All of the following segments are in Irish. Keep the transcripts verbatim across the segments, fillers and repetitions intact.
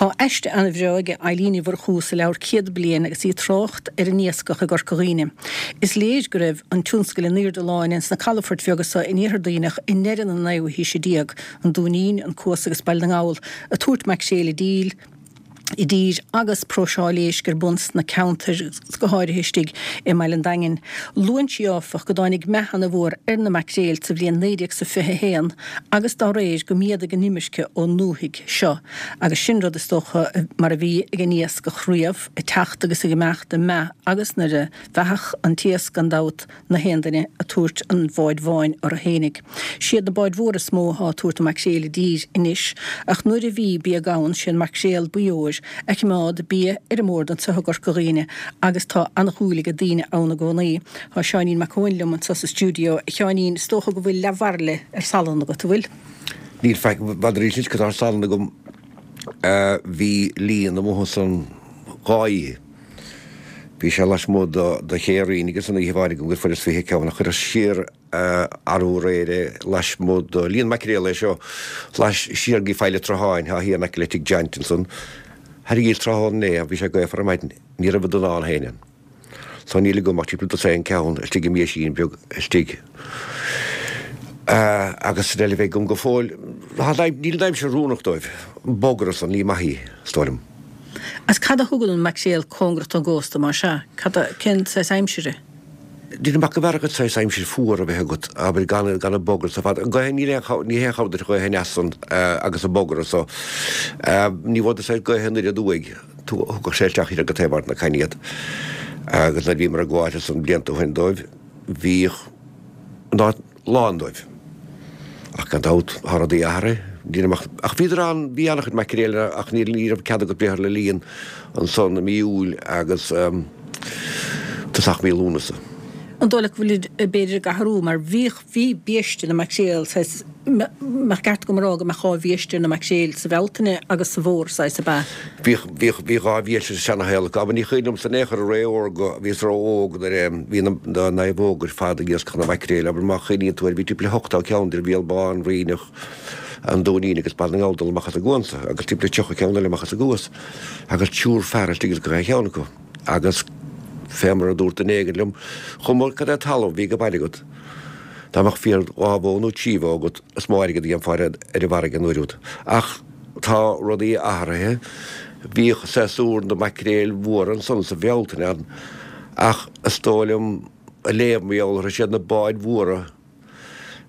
Tá aiste an-bhreá ag Eileen Ní Mhurchú sa leabhar Céad Bliain agus í ag trácht ar an iascach i gCorca Dhuibhne. Is léir go raibh an tionscal in airde láin ins na calafoirt bheaga so in iarthar Duibhneach i ndeireadh na naoú haoise déag, an Dúinín, an Cuas agus Baile na nGall, ag tabhairt maicréil i dtír i dtír agus próiseáil éisc ar bun sna ceantair, go háirithe istigh i mBaile an Daingin. Luann sí, áfach, go dtáinig meath ana-mhór ar na maicréil sa bhliain naoi déag 's a fiche a haon agus dá réir go méadaigh an imirce ón ndúthaigh seo agus sin rud is dócha mar a bhí ag an iascach riamh, ag teacht agus ag imeacht, ag meath agus nuair a mheathadh an t-iasc gan dabht na haon duine ag tabhairt an bháid bháin orthu fhéinig. Siad na báid mhóra is mó athá ag tabhairt an maicréil i dtír anois, ach nuair a bhí bia gann, sé an maicréal buí óir a chimeád bia ar an mbord anso i gCorca Dhuibhne agus tá an-dhúil age daoine ann i gcónaí. Tá Seáinín Mac Eoin liom anso sa stiúideo. A Sheáinín, is dócha go bhfuil leathbhairille ar salann agat, an bhfuil? Níl faic, b'fhéidir arís anois go tá salann agam. Bhí líon amuigh ansan dhá oíche. Bhí sé lasmuigh de Ché Rinn agus an oíche amháin agam gur fuaireas fiche ceann a chuireas siar arú aréir é lasmuigh de líon maicréal é seo lais siar go Faill an tSrutháin thá thiar in aice le tigh John ansan. Thairrigíos tráthnóna inné bhí sé gaofar ar maidin ní raibh an duine ann féin ann. So níl agam ach timpeall dosaen ceann istigh i mbéisín beag istigh. Agus san eile bheidh agam go fóill. Níl an aimsir oiriúnach dóibh. An bogra san, ní maith í, is dóigh liom. Agus cad a thugann an maicréal cóngarach don gcósta, más ea? Cad a, cén saghas aimsire? Déarfainn go mb'fhearr agat saghas aimsir fuar a bheith agat, abair, gan, gan an bogra so fad. An gaoth, níl aon, ní haon chabhair duit an ghaoth aneas san agus an bogra so. Ní bhfódar saghas gaoth anoir aduaidh. Thugadh sé isteach thiar go taobh Ard na Caithne iad agus nuair a bhíomar ag gabháil ansan blianta ó shin dóibh, bhíodh an áit lán dóibh. Ach gan dabht, tá rudaí athraithe. Ní raibh ach, ach bhíodar ann, bhí an-chuid maicréil ann ach ní, ní raibh cead agat breith orthu le líon ansan i mí Iúil agus tosach mí Lúnasa. An dóigh leat go bhfuilid b'fhéidir ag athrú mar bhíodh, bhí biaiste na maicréal saghas, mbeadh ceart agam a rá go mbeadh dhá bhiaiste ar na maicréil, sa Bhealtaine agus sa bhFómhar saghas, ab ea? Bhíodh, bhíodh, bhí dhá bhiaiste sa seana-shaol acu, abair ní cuimhin liomsa in aon chor i ré órga, bhíos ró-óg nuair a bhí na, na naomhóga ar fad ag iascach na maicréil, abair má chuimhníonn tú air bhí timpeall le hochtó ceann idir Bhéal Bán, Rinneach, an Dúinín agus Baile na nGall dul amach as an gcuan so agus timpeall le tríocha ceann eile amach as an gCuas agus triúr fear istigh ins gach aon cheann acu. Agus fé mar a dúirt duine éigin liom, chuma cad é talamh a bhí ag baile agat, dá mbeadh fíor dhá bhó nó trí bhó agat, is mó airgead a dhéanfá ar an bhfarraige an uair úd. Ach tá rudaí athraithe. Bhíodh séasúr na maicréil mhóra ansan sa Bhealtaine ann, ach is dóigh liom a léamh mar gheall orthu, siad na báid mhóra,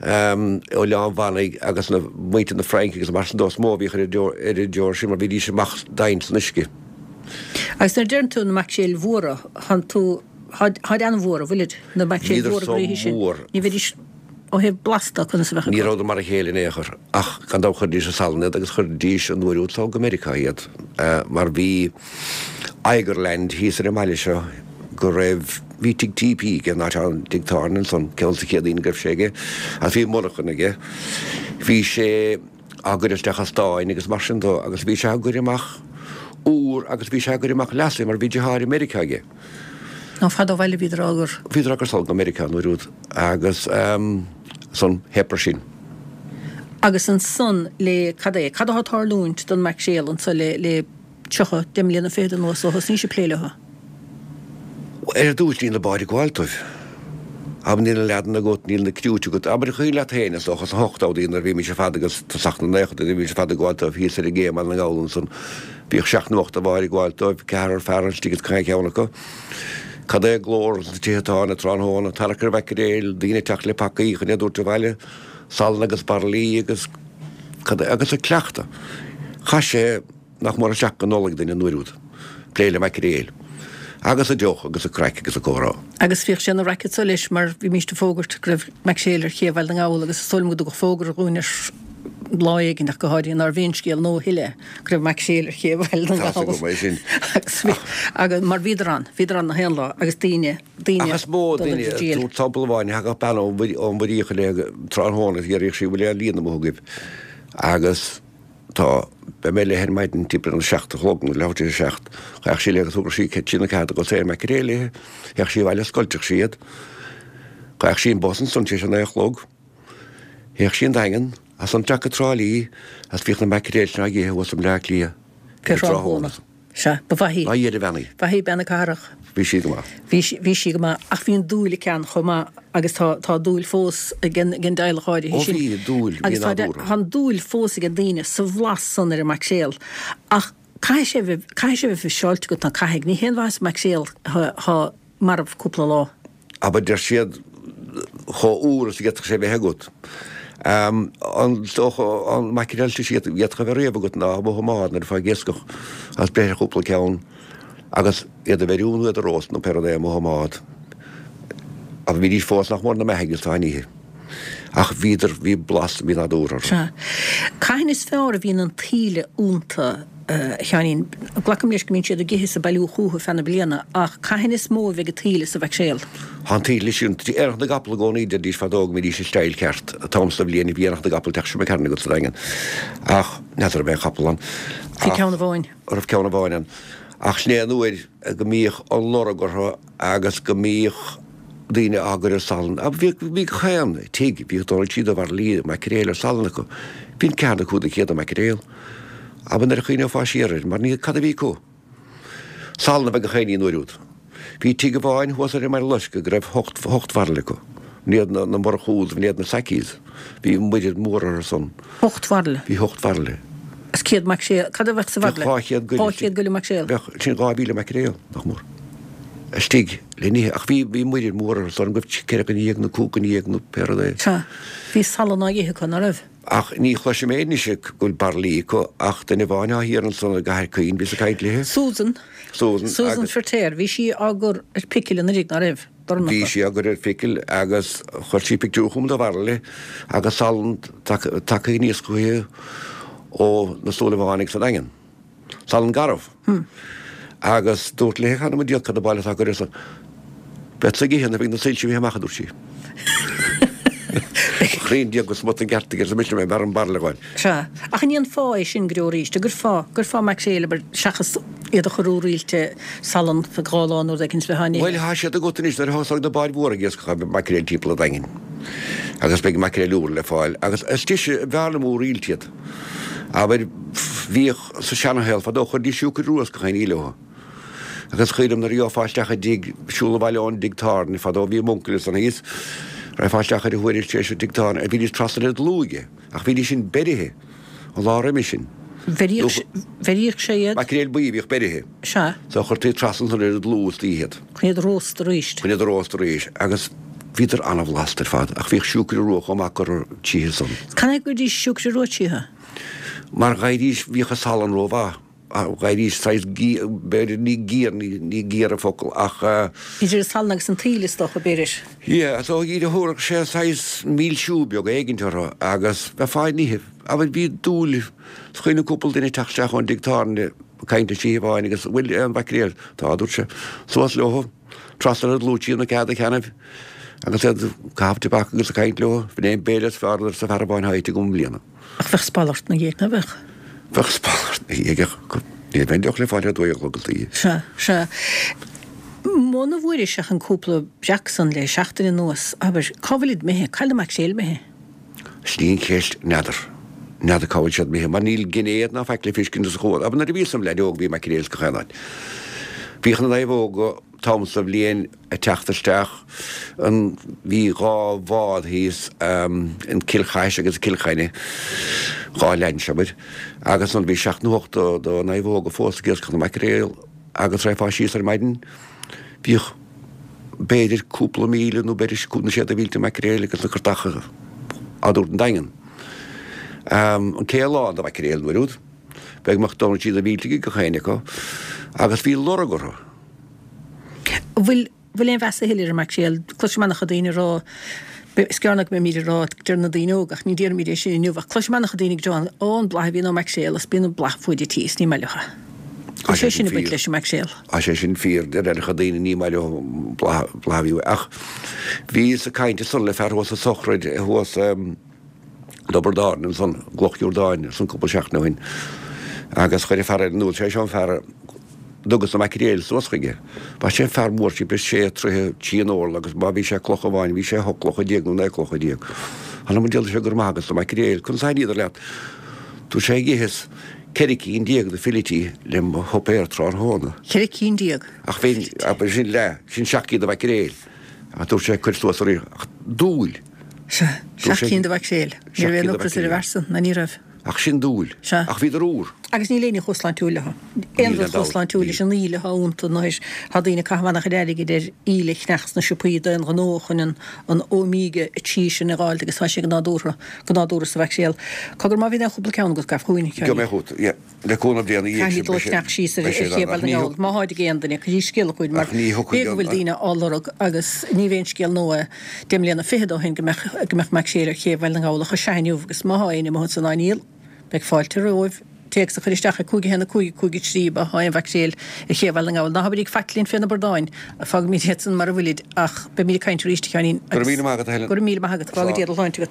Oileán Mhanaigh agus na muintir na Fraince agus mar sin dó is mó a bhíodh ar an deor sin mar bhídís amach domhain san uisce. Agus nuair a deireann tú na maicréil mhóra, thánn tú, tháid an-mhór, an bhfuilid, na maicréil Bhíodar mhóra so gnoithe sin, mór. ní bheidís ó thaobh blasta conas a bheadh Ní acu. rabhadar mar a chéile in aon chor ach gan dabht chuiridís i salann iad agus chuiridís an uair úd so go Meiriceá iad mar bhí Eigerland thíos ar an mbaile seo go raibh, bhí tigh T P aige, an áit an tigh tábhairne ansan, ceann sa Chéadaoin go raibh sé aige, agus bhí monarchan aige. Bhí sé á gcur isteach i stáin agus mar sin dó agus bhí sé á gcur amach úr agus bhí sé á gcur amach leasaithe mar bhí deartháir i Meiriceá aige. Nó fada ó bhaile bhíodar á gcur. Bhíodar á gcur sall go Meiriceá an uair úd agus san theip ar sin. Agus ansan le, cad é, cad atá ag tarlúint don maicréal anso le, le. tríocha, deich mbliana fichead anuas ó thosnaís ag plé leo. Ar dtús níl na báid ag gabháil dóibh. Abair níl na leaideanna agat, níl na criúit agat. Abair cuimhin leat féin, is dócha, sna hochtóidí nuair a bhímis ar fad agus tosach na naochadaí nuair a bhímis ar fad ag gabháil dóibh thíos ar an gcé i mBaile na nGall ansan. Bhíodh seacht nó ocht de bháid ag gabháil dóibh, ceathrar fear istigh ins gach ceann acu. Cad é glór sna tithe tábhairne tráthnóna, tarrac ar mhaicréil, daoine ag teacht le pacaí chun iad a thabhairt abhaile, salann agus bairillí agus cad é, agus ag cleachtadh. Chaith sé. Nach mór isteach go Nollaig duinn an uair úd, plé le maicréil, agus an deoch agus an craic agus an comhrá. Agus bhíodh sé ina racket so leis mar bhímíst ag fógairt go raibh maicréil ar ché Bhaile na nGall agus is dóigh liom go dtugadh fógra dhúinn ar lá éigin ach go háirithe nárbh aon scéal nua a thuilleadh go raibh maicréil ar ché Bhaile na Tá's nGall agam é sin. agus bhí agus mar bhíodar ann, bhíodar ann na haon lá agus daoine, daoine Ach is mó dul duine, ag díol. tabhairt sampla amháin, thagadh bean ón Mhuiríoch léi tráthnóna agus deireadh sí bhfuil aon líon amuigh agaibh agus Tá. Beidh mé léi ar maidin timpeall ar a seacht a chlog nó leathuair tar éis a seacht. Thagadh sí léi agus thugadh sí trí nó ceathair de dhosaen maicréil léi. Théadh sí abhaile scoilteadh sí iad. Ghabhadh sí an bus ansan tar éis a naoi a chlog. Théadh sí an Daingean, as an dteach go Trá Lí, agus bhíodh na maicréil sin á n-ithe thuas i mBleá Cliath Fé thráthnóna. Sea, ba mhaith í. Lá Fhéile Bheannaí. Ba mhaith í bean na cathrach. Bhí sí go maith. Bhí sí, bhí sí go maith. Ach bhí an dúil aici ann chomh maith agus tá, tá dúil fós ag an, ag an dteaghlach áirithe Ó sin. bhí, dúil, bhí Agus tá, nádúrtha. tá an dúil fós ag daoine sa bhlas san ar an maicréal. Ach caithfidh sé a bheith, caithfidh sé a bheith fiseáilte agat ná caithfidh. Ní haon mhaitheas maicréal thá, thá marbh cúpla lá. Abair deir siad chomh úr is a d'fhéadfadh sé bheith agat. An dócha an maicréal is a d'fhéadfadh a bheith riamh agat ná amuigh i mbád nuair atá ag iascach agus breith ar chúpla ceann agus iad a bheiriú nó iad a róstadh nó pé rud é amuigh i mbád. Ach bhídís fós nach mór ina mbeathaigh is tá a n-ithe. Ach bhíodar, bhí blas, bhí nádúr orthu. Sea. Cathain is fearr a bhíonn an taoille iontu, a Sheáinín? Glacaim leis go mbíonn siad ag ithe is ag bailiú chúthu feadh na bliana, ach cathain is mó a bheidh an taoille sa mhaicréal? Tá an taoille sin, Aonach na gCapall i gcónaí, deiridís fadó go mbídís ag style ceart, an t-am sa bhliain a bhí Aonach na gCapall ag teacht seo McCarran agat sa Daingean. Ach n'fheadar an mbeidh aon chapall ann. Bhí ceann amháin. Raibh ceann amháin ann. Ach sin é an uair go mbíodh an lorg orthu agus go mbíodh daoine á gcur ar salann. Bhí bhí gach aon tigh, bhíodh Dónal Tríoda bhairillí maicréil ar salann acu. Bhí an ceathair nó cúig de chéad maicréil. Abair nuair a chuimhneofá siar air, mar ní cad a bhí acu? Salann a bheith gach aon ní an uair úd. Bhí tigh amháin thuas ar an mBaile Loiscthe go raibh hocht hocht bhairille acu. B'in iad na na Murchús, b'in iad na Sackies. Bhí muirear mór orthu san. Hocht bhairille? Bhí hocht bhairille. Is céad maicréal, cad a bheadh sa Bheadh bhairille? dhá chéad goile Dhá chéad goile maicréal. Bheadh, sin dhá mhíle maicréal, nach mór. Istigh le n-ithe, ach bhí, bhí muirear mór orthu san, go raibh ceithre dhuine dhéag nó cúig dhuine dhéag nó pé rud é. Sea, bhí salann á ithe acu, ná raibh? Ach ní chloisim anois go bhfuil bairillí acu ach duine amháin atá thiar ansan i gCathair Caoin, bhíos ag caint léi. Susan. Susan, Susan agus. Feirtéar, bhí sí á gcur ar picil anuraidh, ná raibh? Bhí sí á gcur ar phicil agus chuir sí pictiúr chugam de bhairille agus salann tagtha aníos chuici ó na Súilleabhánaigh sa Daingean. Salann garbh. Agus dúrt léi cheana mo Dhia cad a baile atá curtha san. Beadsa ag ithe nuair a bheidh na soilse imithe amach, a dúirt sí. Chroí Dia go smut an gceart aici, arsa mise, b'fhearr an bairille a ghabháil. Sea. Ach an é an fáth é sin go deo arís? An gcuirfeá, gcuirfeá maicréil, abair, seachas iad a chur úraoilte salann feadh dhá lá nó rud éicint le haghaidh. Bhuel, tá siad agat anois nuair a thosóidh na báid mhóra ag iascach beidh maicréil timpeall an Daingin. Agus beidh maicréil úr le fáil. Agus is deise, b'fhearr liom úraoilte iad. Abair, bhíodh sa seanashaol fadó, chuiridís siúcra rua is gach aon ní leo. Agus cuimhin liom nuair a gheofá isteach i dtigh, siúl abhaile ón dtigh tábhairne fadó, bhí m'uncail ansan thíos, raghfá isteach ar a thuairisc tar éis an tigh tábhairne, bhídís trasna ar an dlúth aige, ach bhídís sin beirithe an lá roimhe sin. Bheiríodh, bheiríodh sé iad? Maicréil buí a bhíodh beirithe. Sea. So chuirtí trasna ansan ar an dlúth istoíche iad. Chun iad a róstadh arís. Chun iad a róstadh arís. Agus bhíodar an-bhlasta ar fad, ach bhíodh siúcra rua chomh maith curtha tríothu san. Canathaobh a gcuiridís siúcra rua tríothu? Mar dh'éirídís, bhíodh an salann rómhaith. Dh'éirídís saghas géar, b'fhéidir, ní géar, ní géar an focal ach. Idir an salann agus an taoille is dócha, b'fhéidir. Yeah, so thabharfadh sé saghas milsiú beag éigint orthu agus bheifeá á n-ithe. Abair bhí dúil, is cuimhin liom cúpla duine ag teacht isteach ón dtigh tábhairne ag caint leis oíche amháin agus bhfuil aon mhaicréal? Tá, a dúirt sé. Suas leo, trasna ar an dlúth trí na cead a cheannaibh agus iad ag caitheamh tobac agus ag caint leo. B'in é an béile is fearr arsa fear amháin atá ite agam i mbliana. Ach bheadh spal ort 'na dhiaidh, ná beadh? Bheadh spal ort 'na dhiaidh ach ní bheadh aon deoch le fáil ar a dó dhéag a chlog istoíche. Sea, sea. Muna bhfuairis ach an cúpla breac san le seachtain anuas, abair, cá bhfuilid imithe? Cá bhfuil na maicréil imithe? Sin í an cheist, n'fheadar. N'fheadar cá bhfuil siad imithe, mar níl gné ná faic le feiscint sa chuan. Abair nuair a bhíos im leaid óg bhí maicréil gach aon áit. Bhíodh na naomhóga t-am sa bhliain ag teacht isteach. An, bhí dhá bhád thíos, an Cill Chais agus Cill Chainnigh, dhá lainse, abair, agus ansan bhí seacht nó ocht de naomhóga fós ag iascach na maicréal agus raghfá síos ar maidin, bhíodh b'fhéidir cúpla míle nó b'fhéidir na séadta mhílte maicréil agus na curtacha á dtabhairt 'on Daingean. An cé lán de mhaicréil an uair úd, beagnach d'fhan siad na mílte ag gach éinne acu agus bhí lorg orthu. Bhfuil bhfuil aon mheas a thuilleadh ar an maicréal? Cloisim an-chuid daoine ag rá, is gearr ná go mbeimid ag rá, deir na daoine óga, ach ní déarfaimid é sin inniu, ach cloisim an-chuid daoine ag rá, ó, an bladh a bhíonn ó maicréal, is bíonn an bladh fuaid tí is ní maith leo. Tá Tá sé sé sin sin ag baint fíor. leis an maicréal. Tá sé sin fíor, deir an-chuid daoine ní maith leo bladh bladh a bhí uaidh. Ach bhíos ag caint ansan le fear thuas sa tsochraid thuas i dTobar Dáirine ansan, i gCloch Iordáin, ansan cúpla seachtain ó shin agus chuir an fear eile in iúl, sé seo an fear a dtugas na maicréil suas chuige. Bhí sé fear mór timpeall sé troithe trí an orlach agus má bhí sé clocha amháin bhí sé hocht gclocha déag nó naoi gclocha déag. Th'anam 'on diabhal sé go raibh maith agat as na maicréil. Conas a thaitníodar leat? Dúirt sé itheas Ceithre cinn déag de fillití le mo shuipéar tráthnóna. Ceithre cinn déag? Ach bhí, abair, sin leath, sin seacht gcinn de mhaicréil. Ach dúirt sé, cuir suas ar ach dúil. Sea, seacht gcinn de mhaicréil. Ní raibh aon ocras ar an bhfear san, ná ní raibh. Ach sin dúil. Sea. Ach bhíodar úr. Agus níl aon ní chomh sláintiúil leo. Aon rud chomh sláintiúil leis an íle atá iontu anois. Tá daoine ag caitheamh an-chuid airgid ar íle a cheannach sna siopaí d'aon ghnó chun an an óimíge a trí sin a dh'fháilt agus tá sé go nádúrtha, go nádúrtha sa mhaicréal. Cogar má bhíonn aon chúpla ceann agat, gabh chugainn, a Sheáinín. Gheobhaidh mé chugat, yeah. Le cúnamh Dé ina dhiaidh sin, beidh sé, Caithfimid dul ag ceannach síos ar beidh sé ché ann. Bhaile Ach na ní nGall. Má tháid ag aon duine, cuiridís scéala chugainn mar Ach ní b'fhéidir thiocfaidh go an, bhfuil daoine á lorg agus ní bheidh aon scéal nua deich mbliana fichead ó shin go mbeadh, go mbeadh maicréil ar ché Bhaile na nGall ach is ea inniu agus má thá éinne amuigh ansan á ndíol, beidh fáilte romhaibh téacs a chur isteach ag cúig a haon a cúig a cúig a trí má thá aon mhaicréil ar ché Bhaile na nGall. Ná habraigí faic linn fé na bordáin, fágfaimid iad san mar a bhfuilid ach beimid ag caint arís, a Sheáinín, Go raibh agus míle maith agat, a Helen. go raibh míle maith agat. Go bhfága Dia do shláinte agat.